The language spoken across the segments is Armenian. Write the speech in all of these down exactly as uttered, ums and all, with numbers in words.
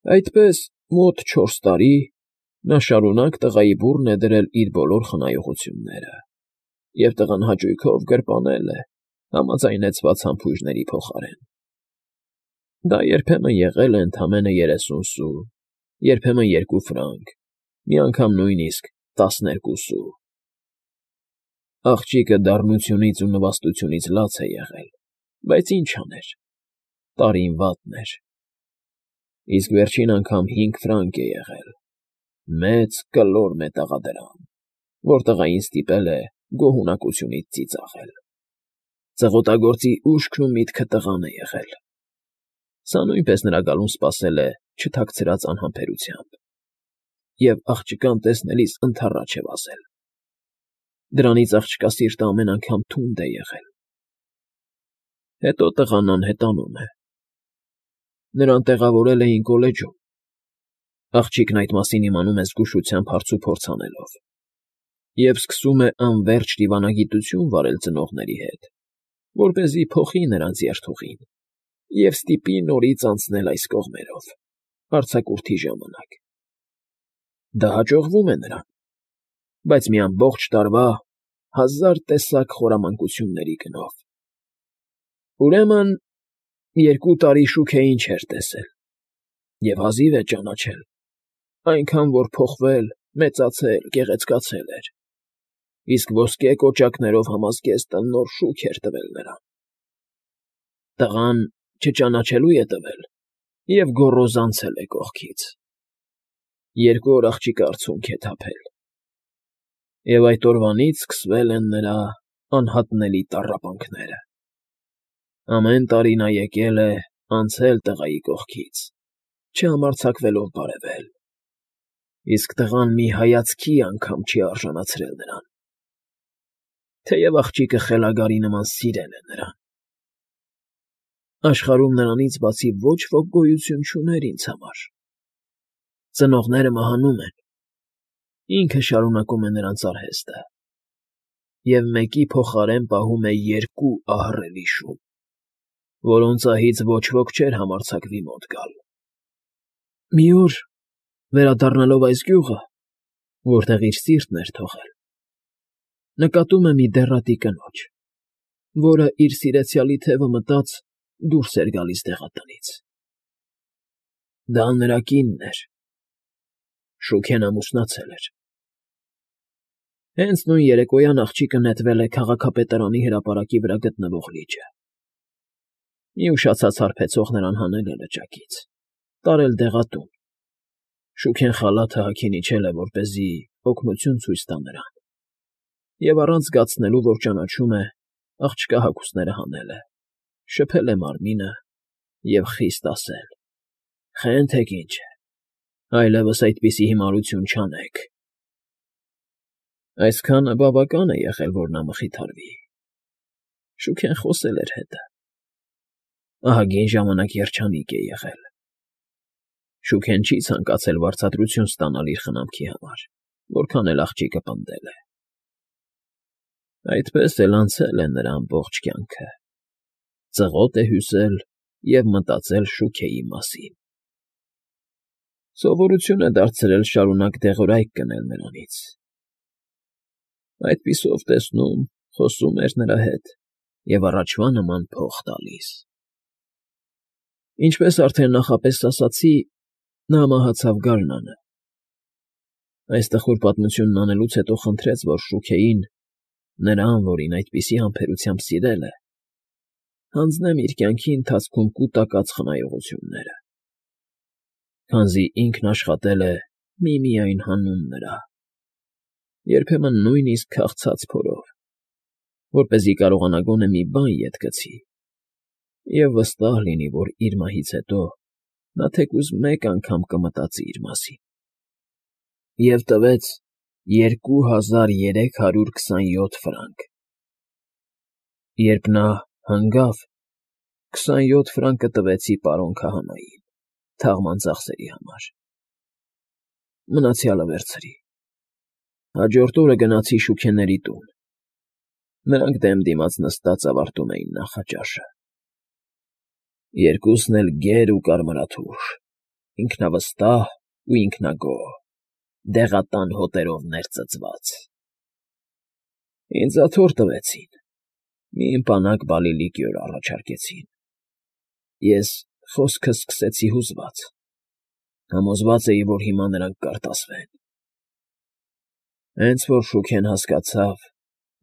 Այդպես մոտ չորս տարի նա շարունակ տղայի բուռն է դրել իր բոլոր խնայողությունները և տղան հաճույքով գրպանել է համաձայնեցված համբույրների փոխարեն. դա երբեմն եղել է ընդամենը երեսուն սու, երբեմն երկու ֆրանկ, մի անգամ նույնիսկ տասներկու սու… Աղջիկը դառնությունից ու նվաստությունից լաց է եղել, բայց ինչ աներ, տարին վատն էր… Իսկ վերջին անգամ հինգ ֆրանկ է եղել, մեծ կլոր մետաղադրամ, որ տղային ստիպել է գոհունակությունից ծիծաղել… Ծղոտագործի ուշքն ու միտքը տղան է եղել… Սա նույնպես նրա գալուն սպասել է չթաքցրած անհամբերությամբ և աղջկան տեսնելիս ընդառաջ է վազել… Դրանից աղջկա սիրտը ամեն անգամ թունդ է եղել… Հետո տղան անհետանում է… Նրան տեղավորել էին կոլեջում… Աղջիկն այդ մասին իմանում է զգուշությամբ հարցուփորձ անելով և սկսում է անվերջ դիվանագիտություն վարել ծնողների հետ, որպեսզի փոխի նրանց երթուղին և ստիպի նորից անցնել այս կողմերով, արձակուրդի ժամանակ… Դա հաջողվում է նրան, բայց մի ամբողջ տարվա, հազար տեսակ խորամանկությունների գնով… Ուրեմն երկու տարի Շուքեին չէր տեսել և հազիվ է ճանաչել, այնքան որ փոխվել, մեծացել, գեղեցկացել էր, իսկ ոսկե կոճակներով համազգեստը նոր շուք էր տվել նրան… Տղան չճանաչելու է տվել և գոռոզանցել է կողքից… Երկու օր աղջիկը արցունք է թափել… Եվ այդ օրվանից սկսվել են նրա անհատնելի տառապանքները… Ամեն տարի նա եկել է, անցել տղայի կողքից, չհամարձակվելով բարևել… Իսկ տղան մի հայացքի անգամ չի արժանացրել նրան… Թեև աղջիկը խելագարի նման սիրել է նրան… Աշխարհում նրանից բացի ոչ ոք գոյություն չուներ ինձ համար… Ծնողները մահանում են, ինքը շարունակում է նրանց արհեստը և մեկի փոխարեն պահում է երկու ահռելի շուն, որոնց ահից ոչ ոք չէր համարձակվի մոտ գալ… Մի օր, վերադառնալով այս գյուղը, որտեղ իր սիրտն էր թողել, նկատում է մի դեռատի կնոջ, որը, իր սիրեցյալի թևը մտած, դուրս էր գալիս դեղատնից… Դա նրա կինն էր… Շուքեն ամուսնացել էր… Հենց նույն երեկոյան աղջիկը նետվել է քաղաքապետարանի հրապարակի վրա գտնվող լիճը… Մի ուշացած հարբեցող նրան հանել է լճակից, տարել դեղատուն… Շուքեն խալաթը հագին իջել է, որպեսզի օգնություն ցույց տա նրան, և առանց զգացնելու, որ ճանաչում է, աղջկա հագուստները հանել է, շփել է մարմինը և խիստ ասել. «Խենթեք ինչ է, այլևս այդպիսի հիմարություն չանեք»… Այսքանը բավական է եղել, որ նա մխիթարվի… Շուքեն խոսել էր հետը… Ահագին ժամանակ երջանիկ է եղել… Շուքեն չի ցանկացել վարձատրություն ստանալ իր խնամքի համար, որքան էլ աղջիկը պնդել է… Այդպես էլ անցել է նրա ամբողջ կյանքը… Ծղոտ է հյուսել և մտածել Շուքեի մասին… Սովորություն է դարձրել շարունակ դեղորայք գնել նրանից… Այդպիսով տեսնում, խոսում էր նրա հետ և առաջվա նման փող տալիս… Ինչպես արդեն նախապես ասացի, նա մահացավ գարնանը… Այս տխուր պատմությունն անելուց հետո խնդրեց, որ Շուքեին, նրան, որին այդպիսի համբերությամբ սիրել է, հանձնեմ իր կյանքի ընթացքում կուտակած խնայողությունները, քանզի ինքն աշխատել է միմիայն հանուն նրա, երբեմն նույնիսկ քաղցած փորով, որպեսզի կարողանա գոնե մի բան ետ գցի և վստահ լինի, որ իր մահից հետո նա թեկուզ մեկ անգամ կմտածի իր մասին… Եվ տվեց երկու հազար երեք հարյուր քսանյոթ ֆրանկ… Երբ նա հանգավ, քսանյոթ ֆրանկը տվեցի պարոն քահանային թաղման ծախսերի համար… Մնացյալը վերցրի… Հաջորդ օրը գնացի Շուքեների տուն… Նրանք դեմ դիմաց նստած ավարտում էին նախաճաշը… Երկուսն էլ գեր ու կարմրաթուշ, ինքնավստահ ու ինքնագոհ, դեղատան հոտերով ներծծված։ Ինձ աթոռ տվեցին, մի ըմպանակ բալի լիկյոր առաջարկեցին։ Ես խոսքս սկսեցի հուզված, համոզված էի, որ հիմա նրանք կարտասվեն։ Հենց որ Շուքեն հասկացավ,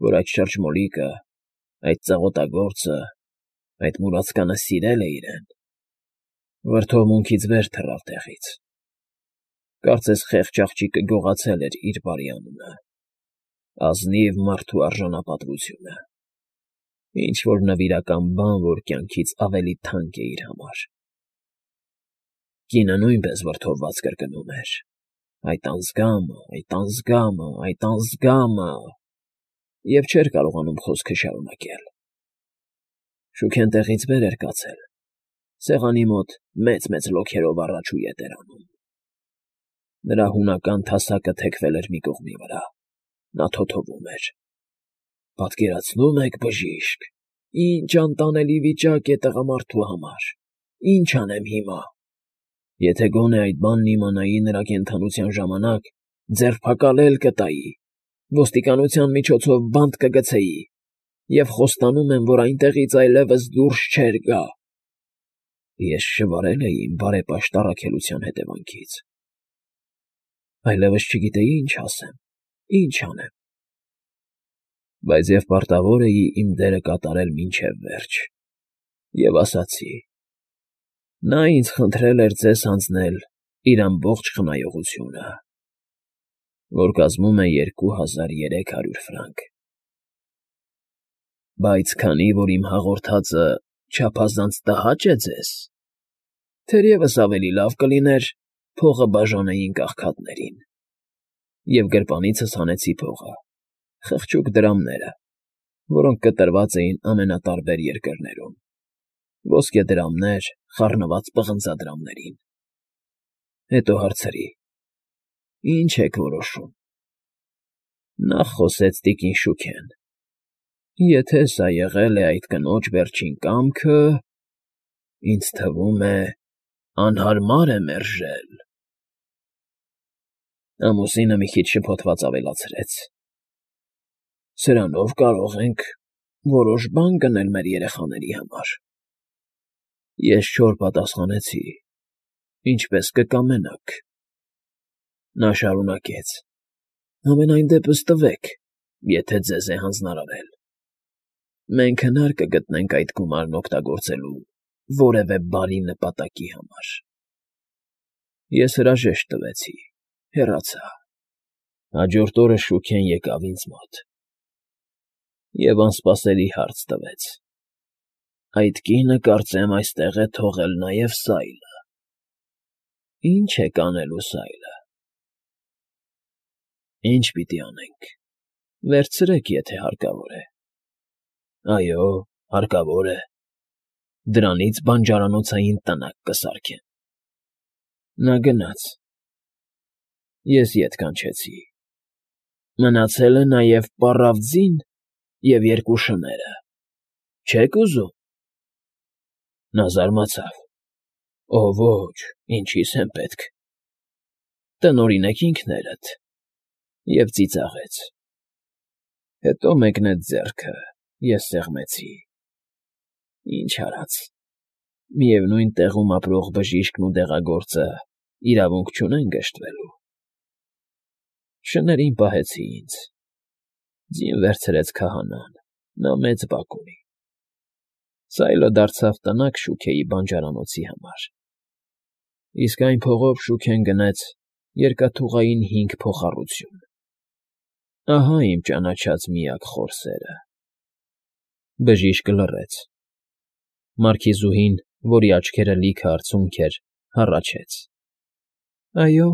որ այդ շրջմոլիկը, այդ ծղոտագործը, այդ մուրացկանը սիրել է իրեն, վրդովմունքից վեր թռավ տեղից։ Կարծես խեղճ աղջիկը գողացել էր իր բարի անունը, ազնիվ մարդու արժանապատվությունը, ինչ֊որ նվիրական բան, որ կյանքից ավելի թանկ է իր համար։ Կինը նույնպես վրդովված կրկնում էր. «Այդ անձգամը, այդ անձգամը, այդ անձգամը» և չէր կարողանում խոսքը շարունակել։ Շուքեն տեղից վեր էր կացել, սեղանի մոտ մեծ֊մեծ լոքերով առաջուի էր անում։ Նրա հունական թասակը թեքվել էր մի կողմի վրա, նա թոթովում էր. «Պատկերացնո՞ւմ եք, բժիշկ, ինչ անտանելի վիճակ է տղամարդու համար, ինչ անեմ հիմա։ Եթե գոնե այդ բանն իմանայի նրա կենդանության ժամանակ, ձերբակալել կտայի, ոստիկանության միջոցով բանտ կգցեի և խոստանում եմ, որ այնտեղից այլևս դուրս չէր գա»։ Ես շվարել էի իմ բարեպաշտ առաքելության հետևանքից։ Այլևս չգիտեի ինչ ասեմ, ինչ անեմ։ Բայց և պարտավոր էի իմ դերը կատարել մինչև վերջ, և ասացի. նա ինձ խնդրել էր ձեզ հանձնել իր ամբողջ խնայողությունը, որ կազմում է երկու հազար երեք հարյուր ֆրանկ։ Բայց քանի որ իմ հաղորդածը չափազանց տհաճ է ձեզ, թերևս ավելի լավ կլիներ փողը բաժանեինք աղքատներին։ Եվ գրպանիցս հանեցի փողը, խղճուկ դրամները, որոնք կտրված էին ամենատարբեր երկրներում, ոսկեդրամներ խառնված պղնձադրամներին։ Հետո հարցրի. «Ի՞նչ եք որոշում»։ Նախ խոսեց տիկին Շուքեն. «Եթե սա եղել է այդ կնոջ վերջին կամքը, ինձ թվում է, անհարմար է մերժել»։ Ամուսինը մի քիչ շփոթված ավելացրեց. «Սրանով կարող ենք որոշ բան գնել մեր երեխաների համար»։ Ես չոր պատասխանեցի. «Ինչպես կկամենաք»։ Նա շարունակեց. «Համենայն դեպս տվեք, եթե ձեզ է հանձնարարել։ Մենք հնար կգտնենք այդ գումարն օգտագործելու որևէ բարի նպատակի համար»։ Ես հրաժեշտ տվեցի, հեռացա։ Հաջորդ օրը Շուքեն եկավ ինձ մոտ և անսպասելի հարց տվեց. «Այդ կինը, կարծեմ, այստեղ է թողել նաև Սայլը։ Ի՞նչ եք անելու Սայլը»։ «Ի՞նչ պիտի անենք, վերցրեք, եթե հարկավոր է»։ «Այո, հարկավոր է, դրանից բանջարանոցային տնակ կսարքեմ»։ Նա գնաց։ Ես ետ կանչեցի. «Մնացել է նաև պառավ ձին և երկու շները, չե՞ք ուզում»։ Նա զարմացավ. «Օ ոչ, ինչի՞ս են պետք»։ «Տնօրինեք ինքներդ» և ծիծաղեց։ Հետո մեկնեց ձեռքը, ես սեղմեցի։ Ինչ արած, միևնույն տեղում ապրող բժիշկն ու դեղագործը իրավունք չունեն գժտվելու։ Շներին պահեցի ինձ։ Ձին վերցրեց քահանան, նա մեծ բակ ունի։ Սայլը դարձավ տնակ Շուքեի բանջարանոցի համար։ Իսկ այն փողով Շուքեն գնեց երկաթուղային հինգ փոխառություն։ Ահա իմ ճանաչած միակ խորսերը։ Բժիշկը լռեց։ Մարքիզուհին, որի աչքերը լիքը արցունք էր, հառաչեց. «Այո,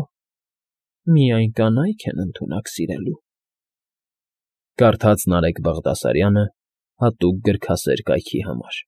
միայն կանայք են ընդունակ սիրելու»։ Կարդաց Նարեկ Բաղդասարյանը հատուկ գրքասեր կայքի համար։